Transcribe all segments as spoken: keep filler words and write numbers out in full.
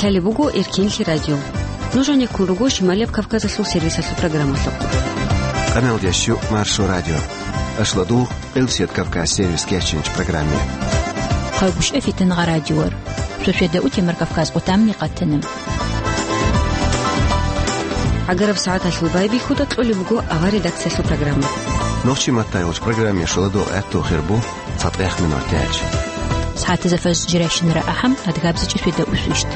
Лъалеб буго Эркенлъи радио. Нуж гӀенеккун руго Шималияб Кавказалъул сервисалъул программалъухъ. Къамел ящу Маршо радио. Ашладу Элсет Кавказ сервис кечинч программе. Хъагушев Фитнагъа радиор. Сосведа утемар Кавказ къутамни къатана. ГӀагараб сагӀаталъул байбихьуда кьолеб буго авар редакциялъул программа. Нохчи маттайолч программе шуладо гӀатту хирбу цатӀех минут тяч. СагӀатазда фаз жиращинара ахӀам адгабзичӀи сосведа усвищт.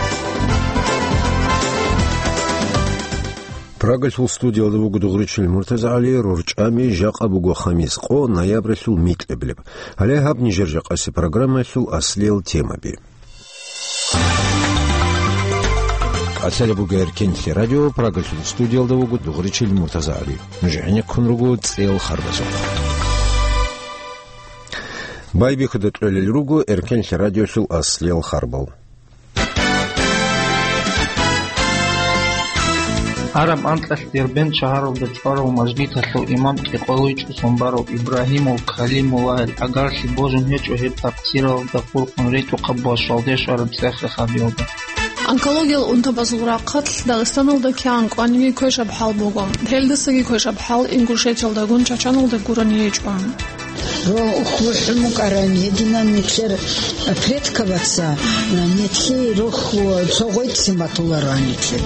Прагалъул студиялда вуго дугъричил МуртазагӀали, рорчӀами жакъа буго хамис къо, ноябралъул микьаблеб. Гьале гьаб нижер жакъаси программалъул аслиял темаби. КӀалъалеб буго Эркенлъи радио, Прагалъул студиялда вуго дугъричил МуртазагӀали. Нуж гӀенеккун руго цӀел харбазухъ. Байбихьуда кьолел руго Эркенлъи радиолъул аслиял харбал. Гьараб анкьалъ Дербент шагьаралда чӀварав мажгиталъул имам кӀикъоялда чӀусун барав Ибрагьимов Калимуллагьил гӀагарлъи божун гьечӀо гьеб такъсиралда хурхун ритӀухъаб ва щвалде щвараб цӀех-рехабиялда. Онкологиял унтабазул рахъалъ Дагъистаналда кигӀан кӀваниги квешаб хӀал буго. Гьелдасаги квешаб хӀал Ингушетиялдагун Чачаналда гурони гьечӀо. Рохь бухӀун букӀаран гьединан нилъер предковаца, нилъее рохь цо гъветизе батуларо нилъер.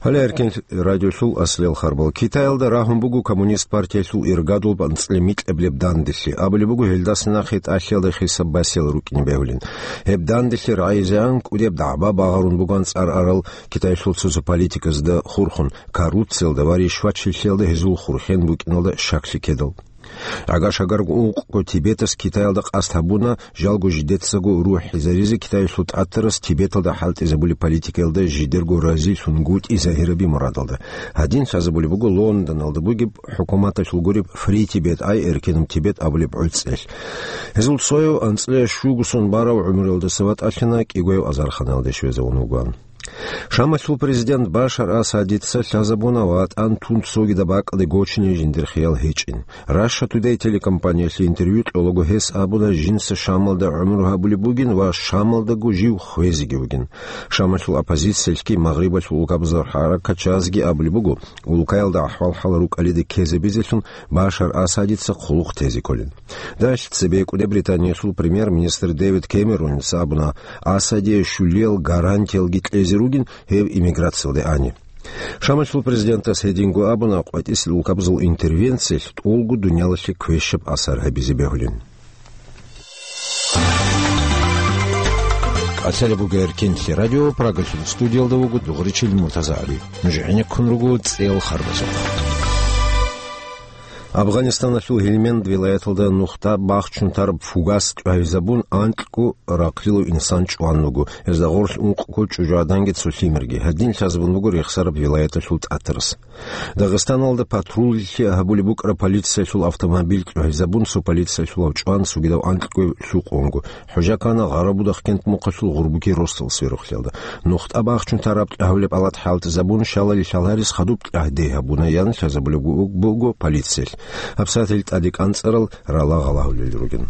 Гьале Эркен радиолъул аслиял харбал. Китаялда рагьун буго Коммунист партиялъул иргадул анцӀила микьаблеб данделъи. Абулеб буго, гьелдаса нахъе тӀалъиялда хисаб басел рукӀине бегьулин. Гьеб данделъи рагӀизегӀан кӀудеб дагӀба багъарун буган цӀар арал Китаялъул цо-цо политиказда хурхун, коррупциялда ва ришвачилъиялда гьезул хурхен букӀиналда щаклъи ккедал. ГӀагар-шагар ункъго Тибетас Китаялда къасд гьабуна, жалго жидецаго рухӀизаризе Китаялъул тӀатарас Тибеталда хӀалтӀизабулеб политикаялда жидерго разилъунгутӀи загьираби мурадалда. Гьадин лъазабулеб буго Лондоналда бугеб хӀукуматалъул гуреб Free Tibet Ай, Эркенаб Тибет абулеб гӀуцӀелъ. Гьезул цояв анцӀила щуго сон барав гӀумруялдаса ватӀалъана, кӀигояв азарханалде щвезавун вугоан. Шамалъул президент Башар Асадица лъазабуна ватӀан тун цогидаб бакӀалде гочине жиндир хиял гьечӀин. Russia Today телекомпаниялъе интервью кьолаго гьес абуна, жинца Шамалда гӀумру гьабулеб бугин ва Шамалдаго жив хвезеги вугин. Шамалъул оппозициялъги Магърибалъул улкабазул хӀаракатчазги абулеб буго, улкаялда ахӀвал-хӀал рукӀалиде ккезабизелъун Башар Асадица хъулухъ тезе кколин. Дагьалъ цебекӀуде Британиялъул премьер-министр Дэвид Кэмероница абуна, Асадие щулиял гарантиялги кьезе ругин гьев эмиграциялде ани. Шамалъул президентас гьединго абуна, къватӀисел улкабазул интервенциялъ тӀолго дуниялалъе квешаб асар гьабизе бегьулин. КӀалъалеб буго Эркенлъи радио, Прагалъул студиялда вуго дугъричил МуртазагӀали. Нуж гӀенеккун руго цӀел харбазухъ. Афганистаналъул Гьелманд вилаяталда нухда бахчун тараб фугас чӀвагьизабун, анкьго рахълилав инсан чӀван вуго. Гьезда гъорлъ ункъго чӀужугӀаданги цо лъимерги. Гьадин лъазабун буго рехсараб вилаяталъул тӀатарас. Дагъистаналда патруллъи гьабулеб букӀараб полициялъул автомобиль чӀвагьизабун, цо полициялъулав чӀван цогидав анкьгояв лъукъунго. ХӀужа ккана Гъарабудахъ-Кент мухъалъул Гъурбуки росдал сверухълъиялда. Нухда бахчун тараб тӀагьулеб алат хӀалтӀизабун, щалали лъаларес хадуб тӀагь дей гьабуна, ян лъазабулеб буго полициялъ. ГьабсагӀатил тӀаде кӀанцӀарал рала гъалагьулел ругин.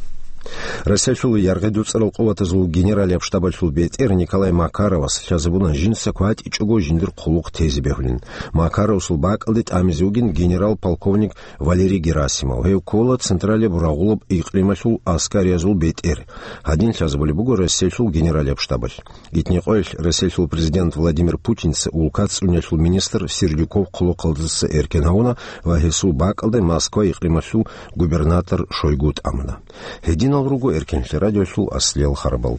Россиялъул яргъи дуцӀарал къуватазул генералияб штабалъул бетӀер Николай Макаровас лъазабуна, жинца кватӀичӀого жиндир хъулухъ тезе бегьулин. Макаровасул бакӀалде тӀамизе вугин генерал-полковник Валерий Герасимов. Гьев ккола Централияб рагъулаб икълималъул аскариязул бетӀер. Гьадин лъазабулеб буго Россиялъул генералияб штабалъ. Итникъоялъ Россиялъул президент Владимир Путинца улкацӀцӀуниялъул министр Сердюков хъулухъалдаса эркен гьавуна ва гьесул бакӀалде Москва икълималъул губернатор Шойгу тӀамуна. Гьединал руго Эркенлъи радиолъул аслиял харбал.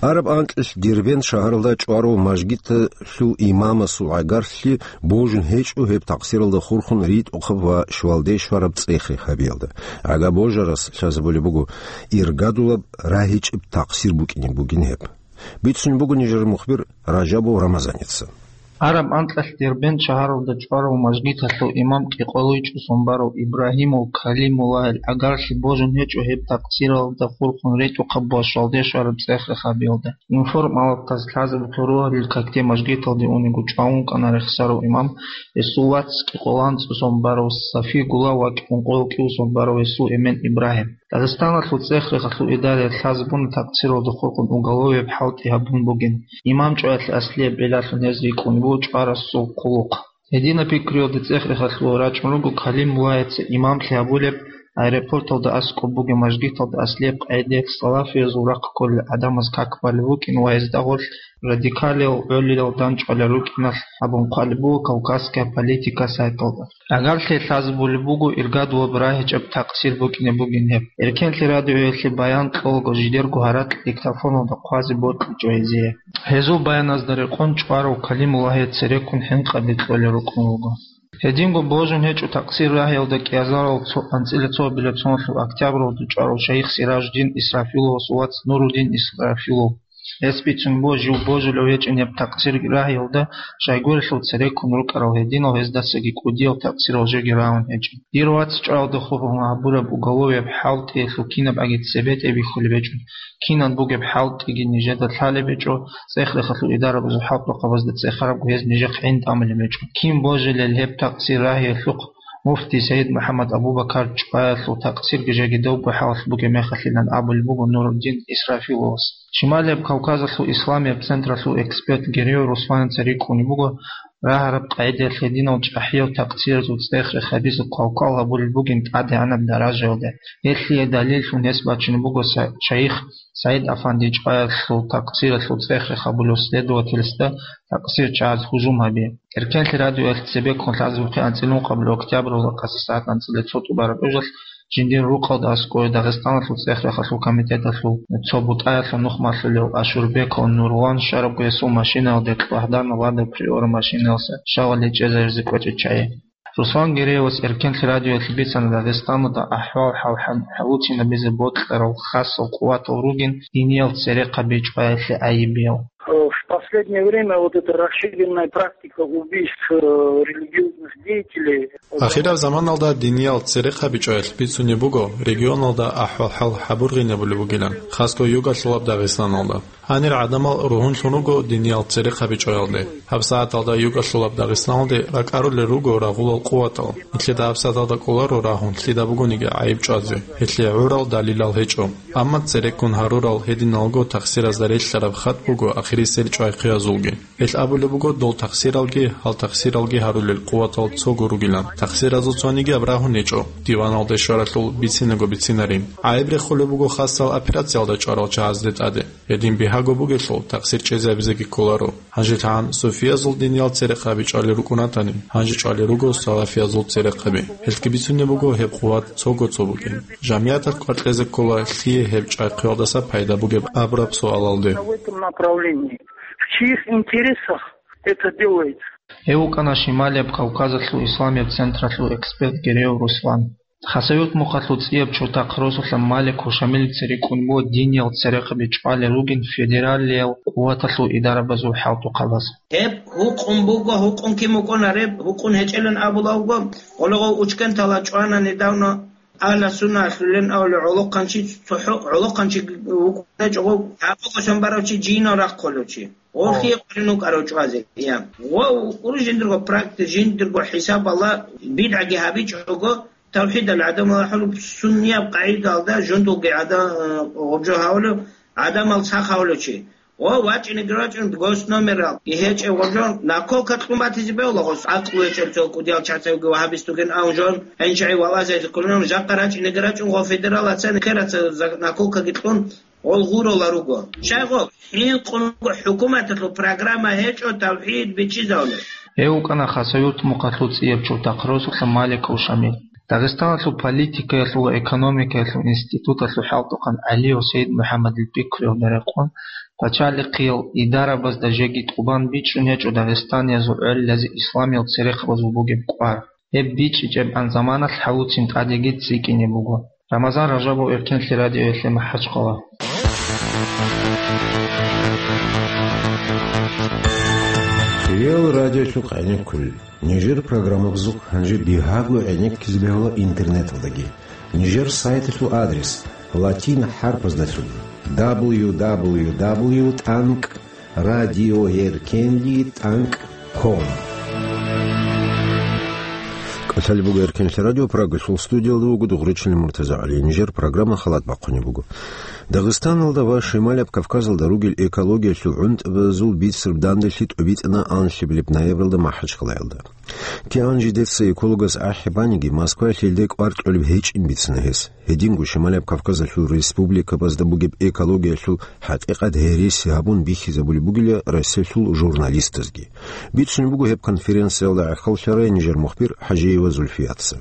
Араб анкьилъ Дербент шагьаралда чӀварав мажгиталъул имамасул гӀагарлъи божун гьечӀо гьеб такъсиралда хурхун ритӀухъаб ва щвалде щвараб цӀех-рехабиялда. ГӀага божарас лъазабулеб буго, иргадулаб рагьичӀеб такъсир букӀине бугин гьеб. Бицун буго нижер мухбир Ражабов Рамазаница. Гьараб анкьалъ Дербент шагьаралда чӀварав мажгиталъул имам КьикъолойчӀосон барав Ибрагьимов Калимуллагьил гӀагарлъи божун гьечӀо гьеб такъсиралда хурхун ретӀухъаб ва щвалде щвараб цӀех-рехабиялда. Информалдаз лъазабухъе рогьалил какде мажгиталде униго чӀван вукӀана рехсарав имам, гьесул вац КьикъоланцӀосон барав Сафигула ва Кьункъой кӀиусон барав гьесул эмен Ибрагьим. Дагъистаналъул цӀех-рехалъул идараялъ лъазабуна такъсиралда хурхун уголовияб хӀалтӀи гьабун бугин. Имам чӀваялъе аслияб гӀиллалъун гьез рикӀкӀун буго чӀварасул хъулухъ. Гьединаб пикруялда цӀех-рехалъув рачӀун руго Калимуллагьица имамлъи гьабулеб, аэропорталда аскӀоб бугеб мажгиталда аслияб къагӀидаялъ салафиязул рахъ кколел гӀадамаз как балеб букӀин ва гьезда гъорлъ радикалиял гӀолилал дандчӀвалел рукӀиналъ абун хъвалеб буго «Кавказская политика» сайталда. ГӀагарлъи лъазабулеб буго иргадулаб рагьичӀеб такъсир букӀине бугин гьеб. Эркенлъи радиоялъе баян кьолаго жидерго гьаракь диктофоналда хъвазе бокьичӀо гьезие. Гьезул баяназда рекъон чӀварав Калимуллагьие цереккун хӀинкъаби кьолел рукӀун руго. Гьединго божун гьечӀо такъсир рагьиялда кӀиазарал цо-, анцӀила цо гьабилеб соналъул октябралда чӀварав шайих Сиражуддин Исрафиловасул вац Нуруддин Исрафилов. Гьес бицун буго жив божулев гьечӀин гьеб такъсир рагьиялда, щайгурелъул цереккун рукӀарал гьединал гьездасаги кӀудиял такъсирал жеги рагьун гьечӀин. Дир вац чӀваялда хурхун гьабураб уголовияб хӀалтӀиялъул кинабгӀаги цебетӀе бихьулеб гьечӀо, кинан бугеб хӀалтӀиги нижеда лъалеб гьечӀо, цӀех-рехалъул идарабазул хӀалтӀухъабазда цӀехарабго гьез нижехъ гӀин тӀамулеб гьечӀо. Кин божилел гьеб такъсир рагьиялъухъ, муфти Саид МухӀаммад Абу-Бакар чӀваялъул такъсирги жеги добго хӀалалъ бугеб мехалъилан абулеб буго Нуруддин Исрафиловас. Шималияб Кавказалъул исламияб централъул эксперт Гереев Русланица рикӀкӀунеб буго, рагьараб къагӀидаялъ гьединал чӀахӀиял такъсиразул цӀех-рех гьабизе квалквал гьабулеб бугин тӀадегӀанаб даражаялда. Гьелъие далиллъун гьес бачунеб буго Са-, шайих Саид-афанди чӀваялъул такъсиралъул цӀех-рех гьабулев следовательсда такъсир чагӀаз гьужум гьаби. Эркенлъи радиоялъ цебеккун лъазабухъе анцӀила ункъабилеб октябралда къаси сагӀат анцӀила цо тӀубараб гӀужалъ жиндир рукъалда аскӀове Дагъистаналъул цӀех-рехалъул комитеталъул цо бутӀаялъул нухмалъулев Ашурбеков Нурлан щварабго гьесул машинаялде кьвагьдана Лада Приора машинаялъа щалалде чӀезаризе кӀвечӀеб чагӀи. Руслан Гереевас Эркенлъи радиоялъе бицана Дагъистаналда ахӀвал-хӀал хӀал-, хӀалуцинабизе бокьарал хасал къуватал ругин диниял церехъаби чӀваялъе гӀайибиял. В последнее время вот эта расширенная практика убийств, э, религиозных деятелей. Ахираб заманалда диниял церехъаби чӀваялъ бицунеб буго регионалда ахӀвал-хӀал хӀабургъинабулеб бугилан, хасго югалъулаб Дагъистаналда. Гьанир гӀадамал ругьунлъун руго диниял церехъаби чӀваялде. ГьабсагӀаталда югалъулаб Дагъистаналде ракӀарулел руго рагъулал къуватал. Нилъеда гьабсагӀаталда кӀоларо рагьун лъида бугониги гӀайиб чӀвазе. Гьелъие гӀурал далилал гьечӀо. Амма цереккун гьарурал гьединалго такъсиразда релълъараб хатӀ буго ахирисел чӀвайхъиязулги. Гьел абулеб буго, дол такъсиралги, гьал такъсиралги гьарулел къуватал цого ругилан. Такъсиразул цонигияб рагьун гьечӀо, диваналде щваралъул бицинаго бицинарин. ГӀайиб рехулеб буго хасал операциялда чӀварал чагӀазде тӀаде. Гьедин бигьаго бугелъул, такъсир чӀезабизеги кколаро. Гьанже лъагӀан суфиязул диниял церехъаби чӀвалел рукӀун ратани, гьанже чӀвалел руго салафиязул церехъаби. Гьелъги бицунеб буго гьеб къуват цого-цо букӀин. Жамигьаталъ къвакьезе ккола лъие гьеб чӀвайхъиялдаса пайда бугеб абураб суалалде. В чьих интересах это делается? Гьев вукӀана Шималияб Кавказалъул исламияб централъул эксперт Гереев Руслан. Хасавюрт мухъалъул цӀияб чуртахъ росулъа Маликов Шамилица рикӀкӀун буго диниял церехъаби чӀвалел ругин федералиял къуваталъул идарабазул хӀалтӀухъабаз. Гьеб гьукъун буго, гьукъун кин букӀунареб, гьукъун гьечӀелан абулавго, гъолагъов учкентала чӀвана недавно Агьла Сунна лъулен авлу гӀолохъанчи цохӀо, гӀолохъанчи вукӀунечӀого, гӀакъуба шамбарав чи жинал рахъулев чи. Гъо хие къулин вукӀарав чӀвазе, я. Гъо вукӀур жиндирго практи, жиндирго хӀисабала бидгӀаги гьабичӀого, тавхӀидал гӀадамал ахӀулеб суннияб къагӀидалда жундулги гӀада-, гъобжо гьавулев гӀадамал сах гьавулев чи. Гъо вачӀинеги рачӀун госномерал, и гьечӀев гъобжо наколка кьун батизе бегьула гъос гӀакълу гьечӀел цо кӀудиял чацавги вагьабист вугин абун жон гьенчагӀи валазайзе кколин жакъа рачӀинеги рачӀун гъо федерал ацани хераца за-, наколкаги кьун гъол гъурола руго. Щай гъо? ХӀинкъун руго хӀукуматалъул программа гьечӀо тавхӀид бичӀчӀизавулеб. Гьев вукӀана Хасавюрт мухъалъул цӀияб чуртахъ росулъа Маликов Шамил. Дагъистаналъул политикаялъул ва экономикаялъул институталъул хӀалтӀухъан ГӀалиев Сайид МухӀаммадил пикруялда рекъон, пачалихъиял идарабазда жеги тӀубан бичӀчӀун гьечӀо дагъистаниязул гӀолилазе исламиял церехъабазул бугеб кӀвар. Гьеб бичӀчӀичӀебгӀан заманалъ хӀалуцин тӀадеги цӀикӀкӀине буго. Рамазан Ражабов, Эркенлъи радиоялъе МахӀачхъала. Ил радиолъухъ гӀенеккулел. Нижер программабазухъ гьанже бигьаго гӀенеккизе бегьула интернеталдаги. Нижер сайталъул адрес латин хӀарпаздалъун: дабл ю дабл ю дабл ю тӀанкӀ радиоеркенлъи тӀанкӀ ком. КӀалъалеб буго Эркенлъи радио, Прагалъул студиялда вуго Дугъричилин МуртазагӀали. Нижер программа халат бахъунеб буго. Дагъистаналда ва Шималаб Кавказалда ругел экологиялъул гӀунтӀбазул бицараб данделъи тӀубитӀана анлъабилеб ноябралда МахӀачкъалаялда. КигӀан жидеца экологас ахӀи баниги, Москваялъ гьелде кӀвар кьолеб гьечӀин бицана гьес. Гьединго Шималаб Кавказалъул республикабазда бугеб экологиялъул хӀакъикъат гьереси гьабун бихьизабулеб бугила Россиялъул журналистазги. Бицунеб буго гьеб конференциялда гӀахьаллъарай нижер мухбир ХӀажиева Зульфияца.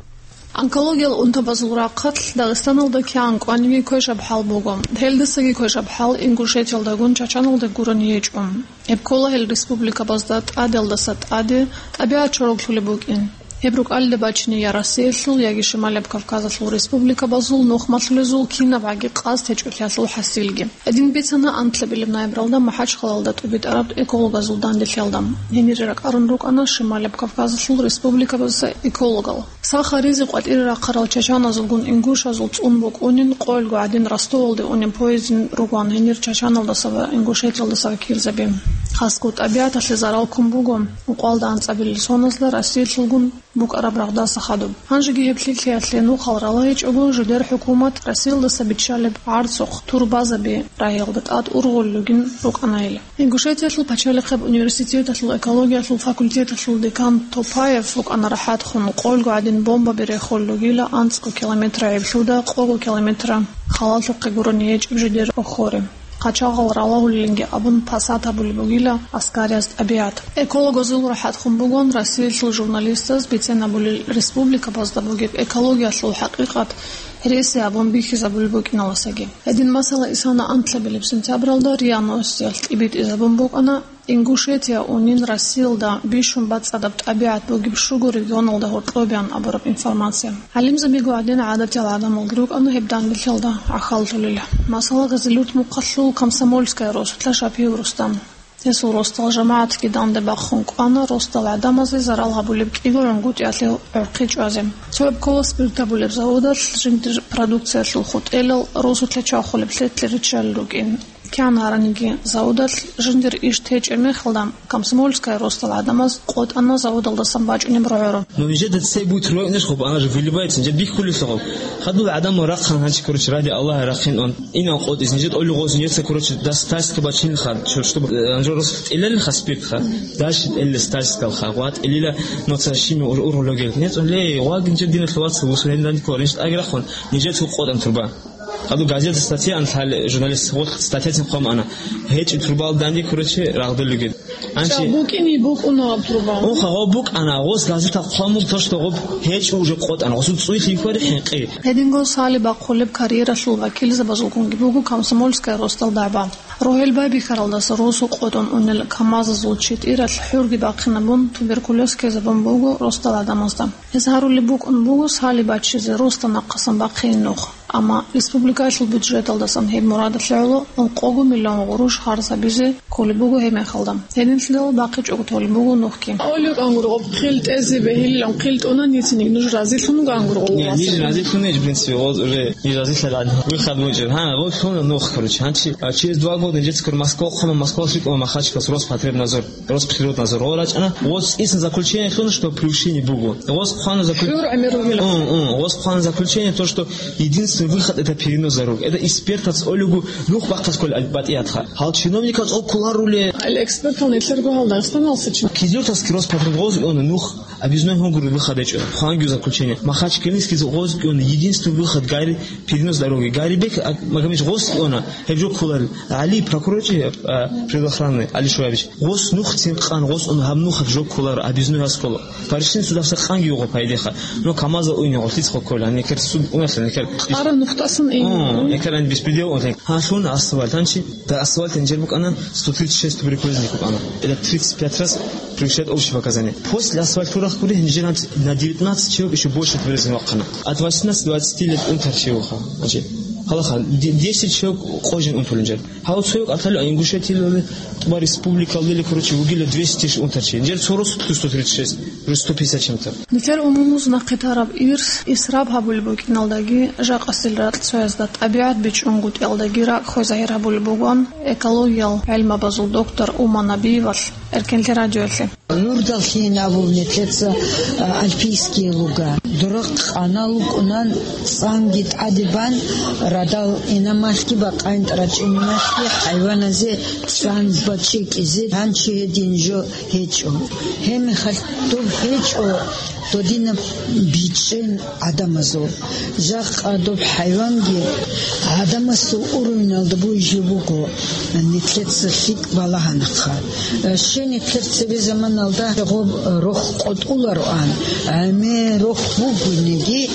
Онкологиял унтабазул рахъалъ Дагъистаналда кигӀан кӀваниги квешаб хӀал буго. Гьелдасаги квешаб хӀал Ингушетиялдагун Чачаналда гурони гьечӀо. Гьеб ккола гьел республикабазда тӀаделдаса тӀаде тӀабигӀат чороглъулеб букӀин. Гьеб рукӀалда бачине я Россиялъул, яги Шималаб Кавказалъул республикабазул нухмалъулезул кинабгӀаги къасд гьечӀолъиялъул хӀасилги. Гьедин бицана анлъабилеб ноябралда МахӀачкъалаялда тӀубитӀараб экологазул данделъиялда. Гьенире ракӀарун рукӀана Шималаб Кавказалъул республикабазул экологал. Саха ризкъи къватӀире рахъарал чачаназулгун ингушазул цӀун букӀунин, къоялго гӀадин Ростовалде унеб поездин ругоан гьенир Чачаналдаса ва Ингушетиялдаса вакилзаби. Хасго тӀабигӀаталъе зарал ккун буго, ункъоялда анцӀабилел соназда Россиялъулгун букӀараб рагъдаса хадуб. Гьанжеги гьеб лъикӀлъиялъе нухал рала гьечӀого, жидер хӀукумат Россиялдаса биччалеб гӀарцухъ турбазаби рагьиялда тӀад ургъулел ругин рукӀана гьел. Ингушетиялъул пачалихъеб университеталъул экологиялъул факультеталъул декан Топаев вукӀана рахӀат хун, къоялго гӀадин бомбаби рехулел ругила анцӀго километр гӀеблъуда къого километр халалъухъе гурони гьечӀеб жидер охоре. Къачагъал ралагьулелинги абун пасат гьабулеб бугила аскарияб тӀабигӀат. Экологазул рахӀат хун бугон Россиялъул журналистаз бицен гьабулел республикабазда бугеб экологиялъул хӀакъикъат гьереси гьабун бихьизабулеб букӀиналдасаги. Гьедин масала исана анлъабилеб сентябралда РИА Новостиялъ тӀибитӀизабун букӀана, Ингушетия унин Россиялда бищун бацӀцӀадаб тӀабигӀат бугеб щуго регионалда гьоркьобеян абураб информация. ГӀалимзабиго гӀадин гӀадатиял гӀадамалги рукӀана гьеб данделъиялда гӀахьаллъулел. Масала, Гъезилюрт мухъалъул Комсомольская росулъа Шапиев Рустам. Гьесул росдал жамагӀатги данде бахъун кӀвана росдал гӀадамазе зарал гьабулеб кӀиго гӀунгутӀиялъе гӀорхъи чӀвазе. Цо гьеб ккола спирт гьабулеб заводалъ жиндир продукциялъул хутӀелал росулъа чвахулеб лъетлъи риччалел рукӀин. КигӀан гьараниги заводалъ жиндир иш течӀеб мехалда, Комсомольская росдал гӀадамаз къотӀана заводалдасан бачӀунеб рогӀоро. Но нижеда цей будет рвать, знаешь, хоб, она же выливается, нижеда биххулесо хоб. Хадув гӀадамал рахъан гьанчи, короче, ради Аллаха рахъин он. Инал къотӀиз, нижеда олигъоз, нижеца, короче, дас тайска бачинха, чё, чтобы, э, анжо рос тӀилалиха спиртха. Дальше тӀилалис тайскалха, гъва тӀилила, но ца шими ур-, ургъулогел. НецӀ лей, гъвагин же дина лъугьаца вусурен данди коринч тӀагирахун, нижеца къотӀан турба. Аду газета статья анлъали журналист, вот статья цин хъван ана. ГьечӀи турбал данди, короче, рагъдуллуги. Анчи букӀини букӀуна труба. Оха, гъо букӀана, гъос газета хъвамун то, что гъоб гьечӀи уже къотӀан, гъосул цӀуй лъикӀвари хӀинкъи. Гьединго сали бахъулеб карьералъул вакилзабазулгунги буго Комсомольская росдал дагӀба. Рогьел байбихьаралдаса росу къотӀун унел КамАЗазул читӀиралъ хӀурги бахъинабун, туберкулез ккезабун буго росдал гӀадамазда. Гьез гьарулеб букӀун буго сали баччизе росдал нахъасан бахъине нух. Амма республикаялъул бюджеталдасан гьеб мурадалъе гӀоло ункъого миллион гъурущ харжабизе кколеб буго гьеб мехалда. Гьединлъидал бахъичӀого толеб буго нухги. Олиукан гургъуб, хъил тӀезе бегьилилан хъил тӀуна, ницин нуж разилъун гангургъуб. Не, ниж разилъун, в принципе, вот уже ниж разилъа гӀадин. Выход муджир. Гьа, вот лъуна нух, короче. Гьанчи, а через два года нижецкур Москва хъума, Москва лъикӀула махачкас Роспотребнадзор. Роспотребнадзор. О, рачӀана, вот исан заключение лъуна, что превышение буго. Вот хъвана закру-, ХӀур гӀемер ругел. М, м, вот хъвана заключение, то, что единственный выход — это перенос дорог. Это экспертац олигу нух бахъас кколел батӀиятха. Гьал чиновникац оккуларуле. Ал экспертал нилъерго гьал Дагъистаналса чи. Кизилюртовский Роспотребнадзор нух объездной гьунгур выход гьечӀо. Хъвангиу заключение. Махачкалинский гъоз кӀиона единственный выход — гайри перенос дороги. Гайрибек, а, Магомедович гъоз кӀиона, гьеб жо кколарел. ГӀали прокурор чи, а, предохранный, ГӀали Шуаевич. Гъос нух цин къан, гъос ун гьаб нух гьаб жо кколар, объездной гьас ккола. Паришин судаса къанги югъо пайдеха. Но КамАЗа уйни гъорлъиц хо ккола, некер суд унахле, некер. Ара нухтасан ин. О, некер ан беспредел унле. Гьа, лъун асфальт, гьанчи, да асфальт инжер букӀана, сто тридцать шесть туберкулезник букӀана. Это тридцать пять раз превышает общие показания. После асфальт турах гури, инжер гьанчи на девятнадцать человек ещё больше туберкулезник вахъана. От восемнадцати до двадцати лет унтарчи юха. Значит, Гьалаха, де-, десять человек къо жин унтулин жер. Гьав цояв кӀаталев Ингушетиялде, тӀуба республикалдели, короче, вугила двести унтарчи. Жер цо росу плюс сто тридцать шесть, уже сто пятьдесят чем-то. Нилъер умумуз нахъе тараб ирс исраб гьабулеб букӀиналдаги, жакъасил ракьцоязда тӀабигӀат бичӀчӀунгутӀиялдаги ракӀ хвезагьир гьабулеб бугоан экологиял гӀелмабазул доктор Ума Набиевалъ Эркенлъи радиоялъе. Нурдалъин абулни лъеца, а, альпийские луга. Дурахъ къана лукӀунан, цӀанги тӀаде бан, радал инамалъги бакъайин тӀарачӀиналъги хӀайваназе цӀан бачӀи кӀизе гьанчи гьедин жо гьечӀо. Гьебмехалъ доб гьечӀо додинаб бичӀчӀен гӀадамазул. Жакъа доб хӀайванги гӀадамасул уровеналда буйжи буго, нилъеца лъикӀ балагьанахъа. Щай нилъер цебе заманалда гъоб рохь къотӀулароан, гӀемер рохь бугониги,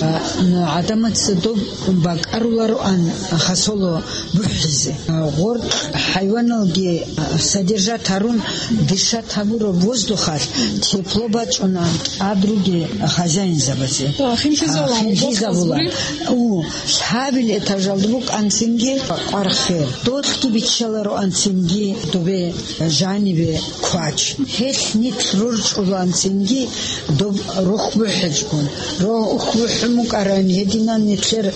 гӀадамаца доб бакӀарулароан хасоло бухӀизе. Гъоркь хӀайваналги содержать гьарун, дышат гьабураб воздухалъ тепло бачӀуна тӀад ругел хозяинзабазе. Хинлъизавулан, хинлъизавулан. У, лъабил этажалда букӀанцинги къвархел. Долъги биччалароанцинги добе жанибе квач. Гьелъ нилъ рорчӀуланцинги доб рохь бухӀичӀгун. Рохь бухӀун букӀаран гьединан нилъер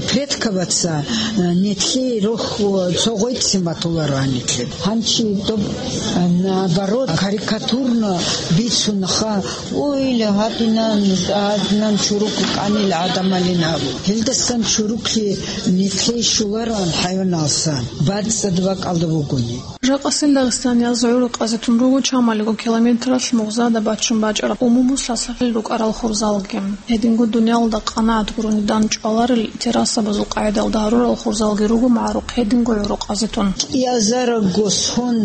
предкабаца, нилъее рохь цо гъойцин батулароан нилъер. Гьанчи доб, наоборот, карикатурно бицунаха. Ойла, гьадинан, гьадинан чурукъ букӀанил гӀадамалин абу. Гьелдасан чурукълъи нилъее щолароан хӀайваналсан, бацӀцӀад бакӀалда бугони. Жакъасил дагъистанияз гӀурухъазе тун руго чамалиго километралъ мугъзада баччун бачӀараб умумуслъ сахил рукӀарал хурзалги. Гьединго дуниялалда къанагӀат гурони дандчӀваларел террасабазул къагӀидалда гьарурал хурзалги руго магӀарухъ гьединго гӀурухъазе тун. КӀиазарго сон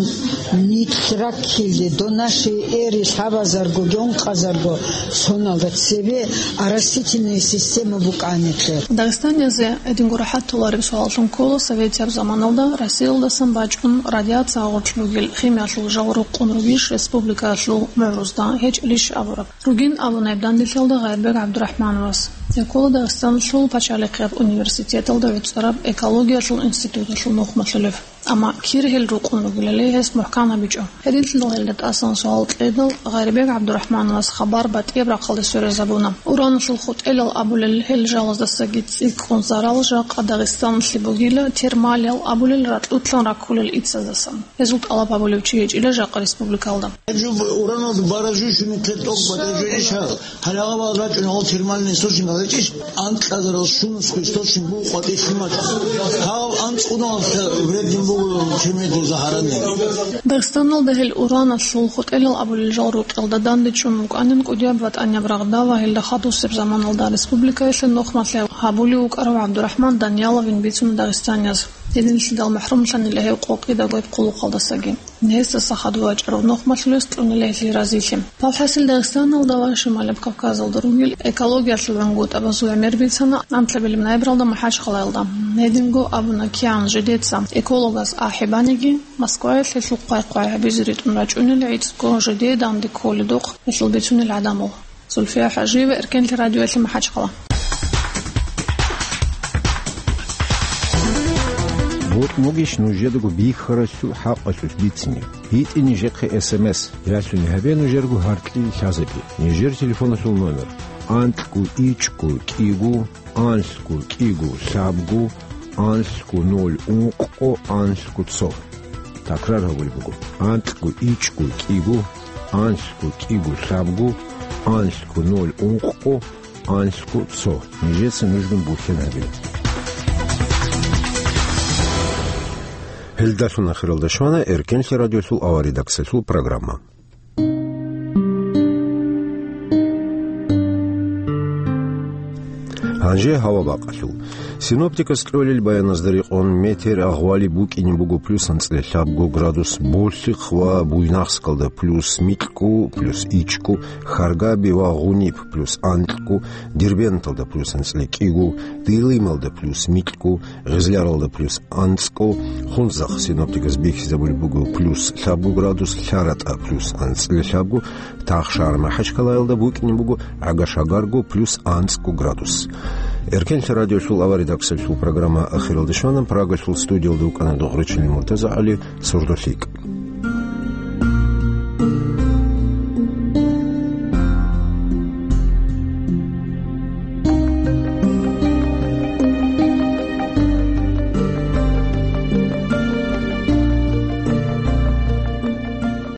нилъ раккилде, до нашей эры лъабазарго, гьонкъазарго соналда цебе оросительная система букӀанихъе. Дагъистаниязе гьединго рахӀат толареб суаллъун ккола советияб заманалда Россиялдасан бачӀун радиация гъоркь бугел химиялъул жал рукъун ругищ республикаялъул мугӀрузда, гьечӀилищ абураб. Ругин абуна гьеб данделъиялда Гъайрбек ГӀабдурахӀмановас. Гьеб ккола Дагъистаналъул пачалихъияб университеталда гӀуцӀараб экологиялъул институталъул нухмалъулев. Амма кир гьел рукъун ругелали гьес мухӀкан гьабичӀо. Гьединлъидал гьелда тӀасан суал кьедал, Гъайрбек ГӀабдурахӀмановас хабар батӀияб рахъалде сверизабуна. Ураналъул хутӀелал абулел гьел жалаздасаги цӀикӀкӀун зарал жакъа Дагъистаналъе бугила термалиял абулел ракьулъан раккулел ицаздасан. Гьезул тӀалаб гьабулев чи гьечӀила жакъа республикалда. Гьеб жо ураналда бараб жо щуни тӀокӀ батӀа жо иш гьал. Гьале гьабал рачӀун гьал термальный источник гьечӀищ, анкьазарал щунусго источник буго къватӀир лъимал. Гьал анцӀкъуналъ вредный буго, чемедул загьаранный. Дагъистаналда гьел ураналъул хутӀелал абулел жал рукъалда дандечӀун вукӀанин кӀудияб ВатӀанияб рагъда ва гьелда хадусеб заманалда республикаялъе нухмалъи гьабулев вукӀарав ГӀабдурахӀман Данияловин бицун дагъистанияз. Гьединлъидал махӀрумлъанила гьев къокъида гьеб хъулухъалдасаги. Гьесдаса хадув вачӀарав нухмалъулес кьунила гьелъие разилъи. ПалхӀасил Дагъистаналда ва Шималаб Кавказалда ругел экологиялъул гӀунгутӀабазул гӀемер бицана анлъабилеб ноябралда МахӀачхъалаялда. Гьединго абуна кигӀан жидеца экологас ахӀи баниги, Москваялъ гьелъул хъвай-хъвай гьабизе ритӀун рачӀунел гӀицӀго жидее данде кколедухъ гьелъул бицунел гӀадамал. Зульфия ХӀажиева, Эркенлъи радиоялъе, МахӀачхъала. Бокь бугищ нужедаго бихьаралъул хӀакъалъулъ бицине? ГьитӀе нижехъе эс эм эс, ялъуни гьабе нужерго гьаркьил лъазабе. Нижер телефоналъул номер: анкьго ичӀго кӀиго, анлъго кӀиго лъабго, анлъго ноль ункъго, анлъго цо. Такрар гьабулеб буго: анкьго ичӀго кӀиго, анлъго кӀиго лъабго, анлъго ноль ункъго, анлъго цо. Нижеца нужгун бухьен гьабе. Гьелдалъун ахиралда щвана Эркенлъи радиолъул аваридаксалъул программа. Гьанже гьава бакъалъул. Синоптикас кьолел баяназда рекъон, метер агъвали букӀине буго плюс анцӀила лъабго градус Болъихъ ва Буйнакскалда, плюс микьго, плюс ичӀго Харгаби ва Гъуниб, плюс анкьго Дербенталда, плюс анцӀила кӀиго Дилималда, плюс микьго Гъизляралда, плюс анцӀго. Хунзахъ синоптикас бихьизабулеб буго плюс лъабго градус, ЛъаратӀа плюс анцӀила лъабго, Тахшар МахӀачхъалаялда букӀине буго гӀага-шагарго плюс анцӀго градус. Эркенлъи радиолъул аваридаксалъул программа ахиралде щвана. Прагалъул студиялда вукӀана Дугъричилин МуртазагӀали, «СордолъикӀ».